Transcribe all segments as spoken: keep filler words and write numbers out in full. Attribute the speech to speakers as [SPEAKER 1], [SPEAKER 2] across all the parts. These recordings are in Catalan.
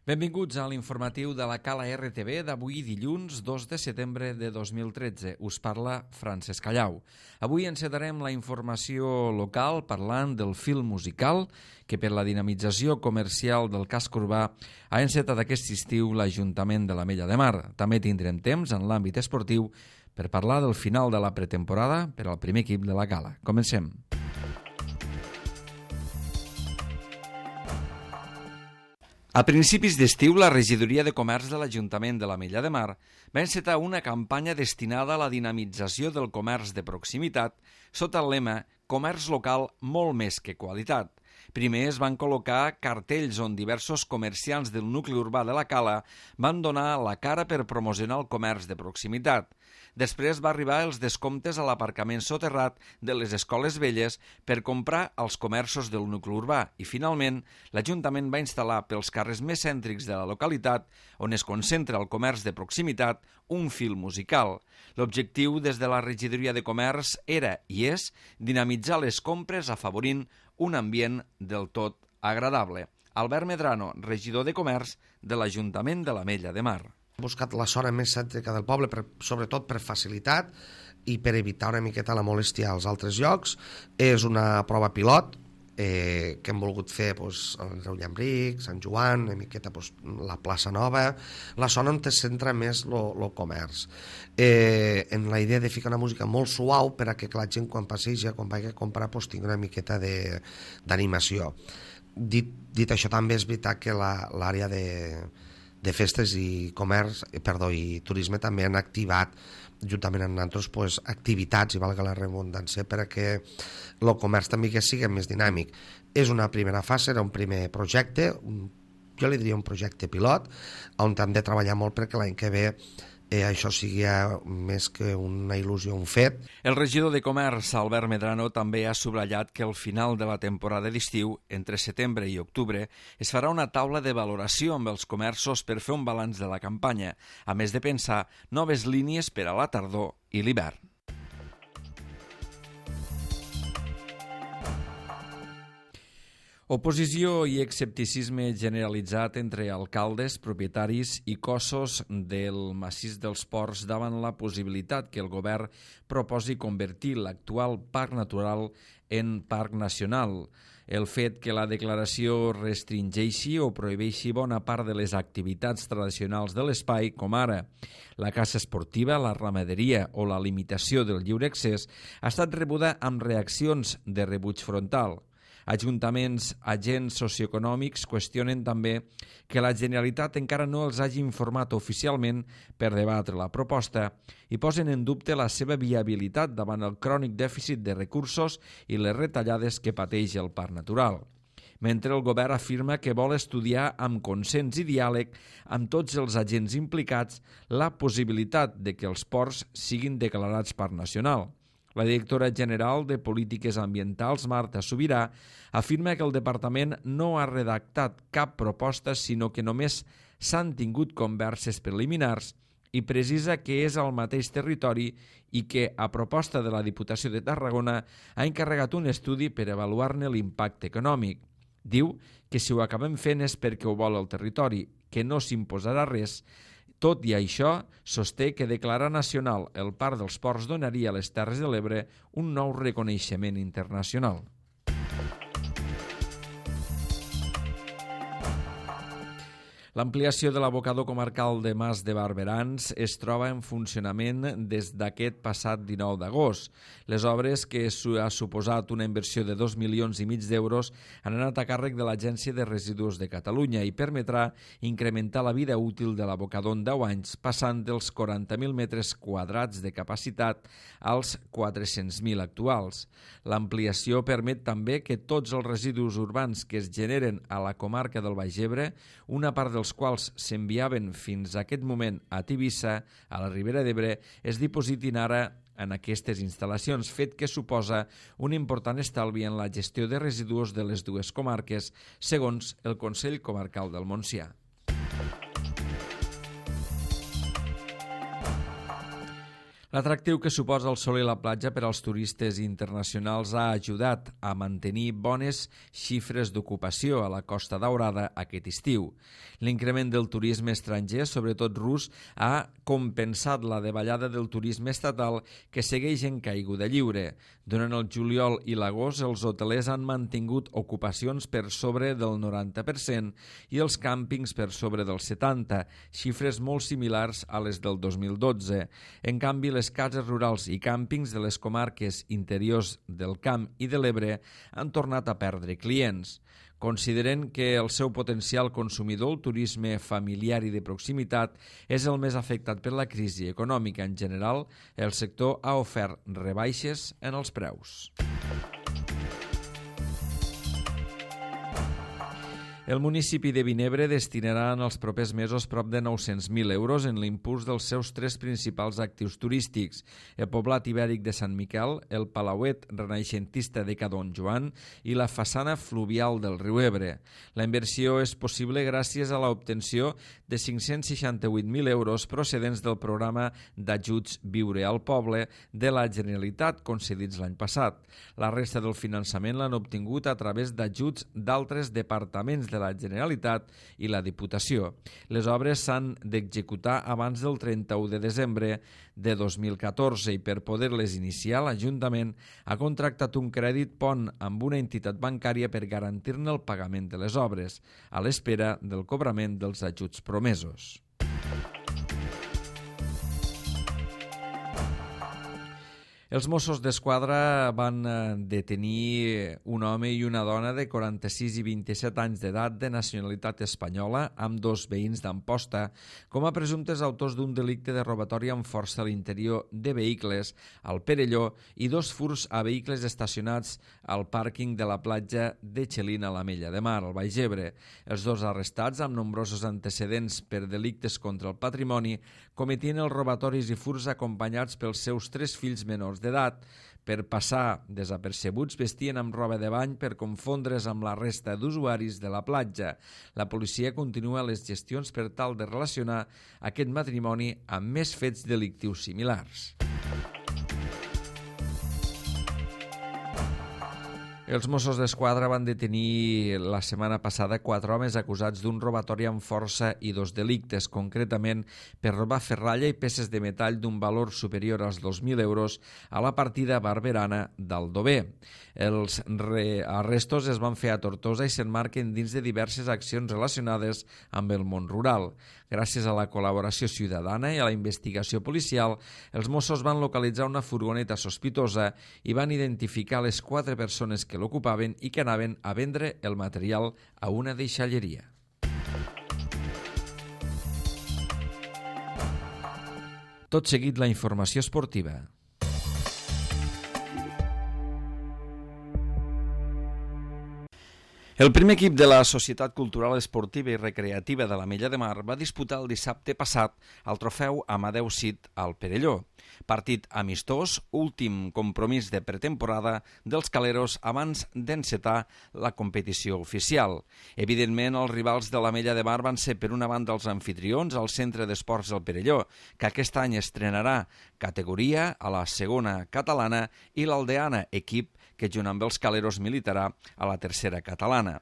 [SPEAKER 1] Benvinguts a l'informatiu de la Cala R T V d'avui dilluns dos de setembre de dos mil tretze. Us parla Francesc Callau. Avui encetarem la informació local parlant del film musical que per la dinamització comercial del casc urbà ha encetat aquest estiu l'Ajuntament de l'Ametlla de Mar. També tindrem temps en l'àmbit esportiu per parlar del final de la pretemporada per al primer equip de la Cala. Comencem. A principis d'estiu, la Regidoria de Comerç de l'Ajuntament de l'Ametlla de Mar va encetar una campanya destinada a la dinamització del comerç de proximitat sota el lema «Comerç local molt més que qualitat». Primer es van col·locar cartells on diversos comerciants del nucli urbà de la Cala van donar la cara per promocionar el comerç de proximitat. Després va arribar els descomptes a l'aparcament soterrat de les escoles velles per comprar als comerços del nucli urbà i, finalment, l'Ajuntament va instal·lar pels carrers més cèntrics de la localitat, on es concentra el comerç de proximitat, un fil musical. L'objectiu des de la Regidoria de Comerç era i és dinamitzar les compres afavorint un ambient del tot agradable. Albert Medrano, regidor de Comerç de l'Ajuntament de l'Ametlla de Mar.
[SPEAKER 2] Hem buscat la zona més cèntrica del poble, per, sobretot per facilitat i per evitar una miqueta la molèstia als altres llocs. És una prova pilot eh, que hem volgut fer doncs, el Reu Llambric, Sant Joan, una miqueta doncs, la plaça Nova, la zona on es centra més el comerç. Eh, en la idea de ficar una música molt suau per a que la gent quan passeja, quan vagi a comprar, doncs, tingui una miqueta d'animació. Dit, dit això, també és veritat que l'àrea de de festes i comerç, perdó, i turisme també han activat, juntament amb nosaltres, pues, activitats, i valga la redundància, perquè el comerç també que sigui més dinàmic. És una primera fase, era un primer projecte, un, jo li diria un projecte pilot, on hem de treballar molt perquè l'any que ve eh, això sigui més que una il·lusió, un fet.
[SPEAKER 1] El regidor de Comerç, Albert Medrano, també ha subratllat que al final de la temporada d'estiu, entre setembre i octubre, es farà una taula de valoració amb els comerços per fer un balanç de la campanya, a més de pensar noves línies per a la tardor i l'hivern. Oposició i escepticisme generalitzat entre alcaldes, propietaris i cossos del massís dels Ports davant la possibilitat que el govern proposi convertir l'actual parc natural en parc nacional. El fet que la declaració restringeixi o prohibeixi bona part de les activitats tradicionals de l'espai, com ara la caça esportiva, la ramaderia o la limitació del lliure accés, ha estat rebuda amb reaccions de rebuig frontal. Ajuntaments, agents socioeconòmics qüestionen també que la Generalitat encara no els hagi informat oficialment per debatre la proposta i posen en dubte la seva viabilitat davant el crònic dèficit de recursos i les retallades que pateix el parc natural. Mentre el govern afirma que vol estudiar amb consens i diàleg amb tots els agents implicats la possibilitat de que els ports siguin declarats parc nacional. La directora general de Polítiques Ambientals, Marta Subirà, afirma que el departament no ha redactat cap proposta, sinó que només s'han tingut converses preliminars i precisa que és al mateix territori i que, a proposta de la Diputació de Tarragona, ha encarregat un estudi per avaluar-ne l'impacte econòmic. Diu que si ho acabem fent és perquè ho vol el territori, que no s'imposarà res. Tot i això, sosté que declarar nacional el Parc dels Ports donaria a les Terres de l'Ebre un nou reconeixement internacional. L'ampliació de l'abocador comarcal de Mas de Barberans es troba en funcionament des d'aquest passat dinou d'agost. Les obres, que ha suposat una inversió de dos milions i mig d'euros, han anat a càrrec de l'Agència de Residus de Catalunya i permetrà incrementar la vida útil de l'abocador en deu anys, passant dels quaranta mil metres quadrats de capacitat als quatre-cents mil actuals. L'ampliació permet també que tots els residus urbans que es generen a la comarca del Baix Ebre, una part dels quals s'enviaven fins a aquest moment a Tivissa, a la Ribera d'Ebre, es dipositin ara en aquestes instal·lacions, fet que suposa un important estalvi en la gestió de residus de les dues comarques, segons el Consell Comarcal del Montsià. L'atractiu que suposa el sol i la platja per als turistes internacionals ha ajudat a mantenir bones xifres d'ocupació a la Costa Daurada aquest estiu. L'increment del turisme estranger, sobretot rus, ha compensat la davallada del turisme estatal que segueix en caiguda lliure. Durant el juliol i l'agost, els hotelers han mantingut ocupacions per sobre del noranta per cent i els càmpings per sobre del setanta per cent, xifres molt similars a les del dos mil dotze. En canvi, les cases rurals i càmpings de les comarques interiors del Camp i de l'Ebre han tornat a perdre clients. Consideren que el seu potencial consumidor, el turisme familiar i de proximitat, és el més afectat per la crisi econòmica en general, el sector ha ofert rebaixes en els preus. El municipi de Vinebre destinarà en els propers mesos prop de nou-cents mil euros en l'impuls dels seus tres principals actius turístics, el poblat ibèric de Sant Miquel, el palauet renaixentista de Ca Don Joan i la façana fluvial del riu Ebre. La inversió és possible gràcies a l'obtenció de cinc-cents seixanta-vuit mil euros procedents del programa d'ajuts Viure al Poble de la Generalitat concedits l'any passat. La resta del finançament l'han obtingut a través d'ajuts d'altres departaments de la Generalitat i la Diputació. Les obres s'han d'executar abans del trenta-u de desembre de dos mil catorze i per poder-les iniciar l'Ajuntament ha contractat un crèdit pont amb una entitat bancària per garantir-ne el pagament de les obres, a l'espera del cobrament dels ajuts promesos. Els Mossos d'Esquadra van detenir un home i una dona de quaranta-sis i vint-i-set anys d'edat de nacionalitat espanyola amb dos veïns d'Amposta com a presumptes autors d'un delicte de robatori amb força a l'interior de vehicles al Perelló i dos furs a vehicles estacionats al pàrquing de la platja de Xelin a l'Ametlla de Mar, al Baix Ebre. Els dos arrestats, amb nombrosos antecedents per delictes contra el patrimoni, cometien els robatoris i furs acompanyats pels seus tres fills menors d'edat. Per passar desapercebuts vestien amb roba de bany per confondre's amb la resta d'usuaris de la platja. La policia continua les gestions per tal de relacionar aquest matrimoni amb més fets delictius similars. Els Mossos d'Esquadra van detenir la setmana passada quatre homes acusats d'un robatori amb força i dos delictes, concretament per robar ferralla i peces de metall d'un valor superior als dos mil euros a la partida barberana d'Aldover. Els arrestos es van fer a Tortosa i s'emmarquen dins de diverses accions relacionades amb el món rural. Gràcies a la col·laboració ciutadana i a la investigació policial, els Mossos van localitzar una furgoneta sospitosa i van identificar les quatre persones que l'ocupaven i que anaven a vendre el material a una deixalleria. Tot seguit la informació esportiva. El primer equip de la Societat Cultural Esportiva i Recreativa de l'Ametlla de Mar va disputar el dissabte passat el trofeu Amadeu Cid al Perelló. Partit amistós, últim compromís de pretemporada dels caleros abans d'encetar la competició oficial. Evidentment, els rivals de l'Ametlla de Mar van ser per una banda els anfitrions al Centre d'Esports del Perelló, que aquest any estrenarà categoria a la segona catalana, i l'Aldeana, equip que junt amb els caleros militarà a la tercera catalana.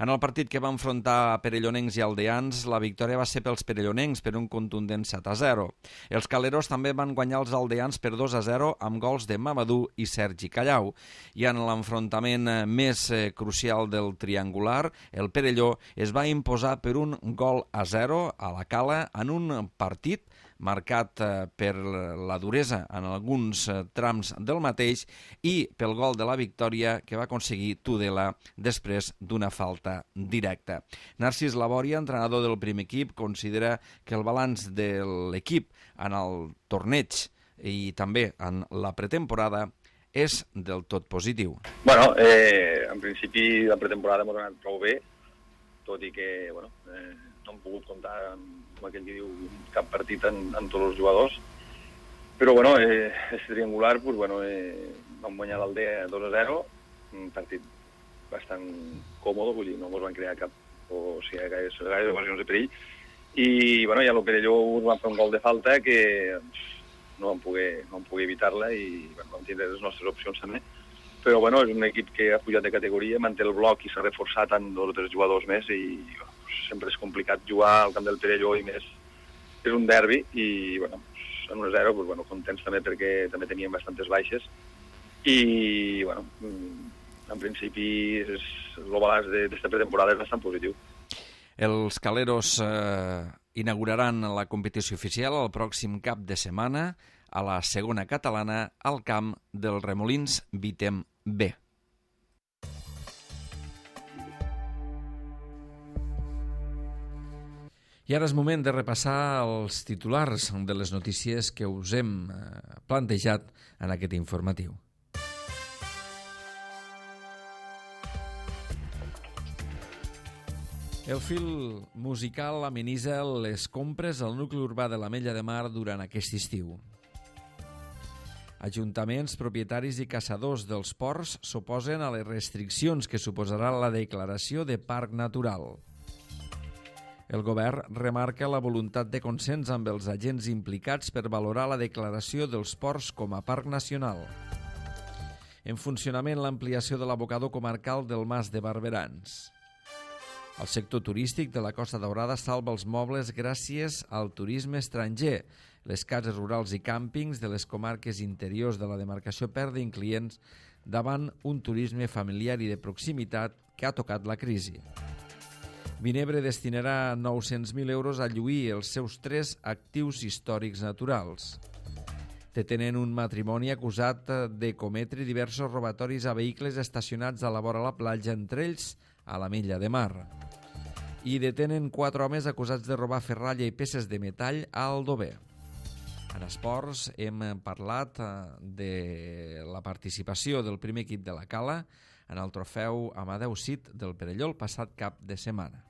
[SPEAKER 1] En el partit que va enfrontar perellonencs i aldeans, la victòria va ser pels perellonencs per un contundent set a zero. Els caleros també van guanyar els aldeans per dos a zero amb gols de Mamadou i Sergi Callau. I en l'enfrontament més crucial del triangular, el Perelló es va imposar per un gol a zero a la Cala en un partit marcat per la duresa en alguns trams del mateix i pel gol de la victòria que va aconseguir Tudela després d'una falta directa. Narcís Labòria, entrenador del primer equip, considera que el balanç de l'equip en el torneig i també en la pretemporada és del tot positiu.
[SPEAKER 3] Bueno, eh, en principi la pretemporada m'ha anat prou bé, tot i que bueno, eh, no hem pogut comptar amb, com aquell que diu, cap partit en, en tots els jugadors. Però bueno, eh, és triangular, pues, bueno, eh, vam guanyar l'Aldea dos a zero, un partit bastant còmode, vull dir, no ens van crear cap o sigui, gaire, gaire ocasions de perill. I bueno, ja el Perelló va fer un gol de falta que no vam poder, no vam poder evitar-la i bueno, vam tindre les nostres opcions també. Però bueno, és un equip que ha pujat de categoria, manté el bloc i s'ha reforçat amb dos o tres jugadors més i bueno, sempre és complicat jugar al camp del Perelló i més és un derbi i bueno, en un zero, pues, bueno, contents també perquè també teníem bastantes baixes i bueno, en principi és, el balanç d'aquesta pretemporada és bastant positiu.
[SPEAKER 1] Els Caleros eh, inauguraran la competició oficial el pròxim cap de setmana a la segona catalana al camp del Remolins Vitem B. I ara és moment de repassar els titulars de les notícies que us hem plantejat en aquest informatiu. El fil musical amenitza les compres al nucli urbà de l'Ametlla de Mar durant aquest estiu. Ajuntaments, propietaris i caçadors dels ports s'oposen a les restriccions que suposarà la declaració de parc natural. El govern remarca la voluntat de consens amb els agents implicats per valorar la declaració dels ports com a parc nacional. En funcionament l'ampliació de l'abocador comarcal del Mas de Barberans. El sector turístic de la Costa Daurada salva els mobles gràcies al turisme estranger. Les cases rurals i càmpings de les comarques interiors de la demarcació perden clients davant un turisme familiar i de proximitat que ha tocat la crisi. Vinebre destinarà nou-cents mil euros a lluir els seus tres actius històrics naturals. Detenen un matrimoni acusat de cometre diversos robatoris a vehicles estacionats a la vora la platja, entre ells a l'Ametlla de Mar. I detenen quatre homes acusats de robar ferralla i peces de metall a Aldover. En esports hem parlat de la participació del primer equip de la Cala en el trofeu Amadeu Cid del Perelló el passat cap de setmana.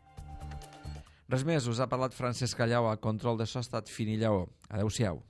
[SPEAKER 1] Res més, us ha parlat Francesc Callau, a control de so ha estat Fini Lleó. Adéu-siau.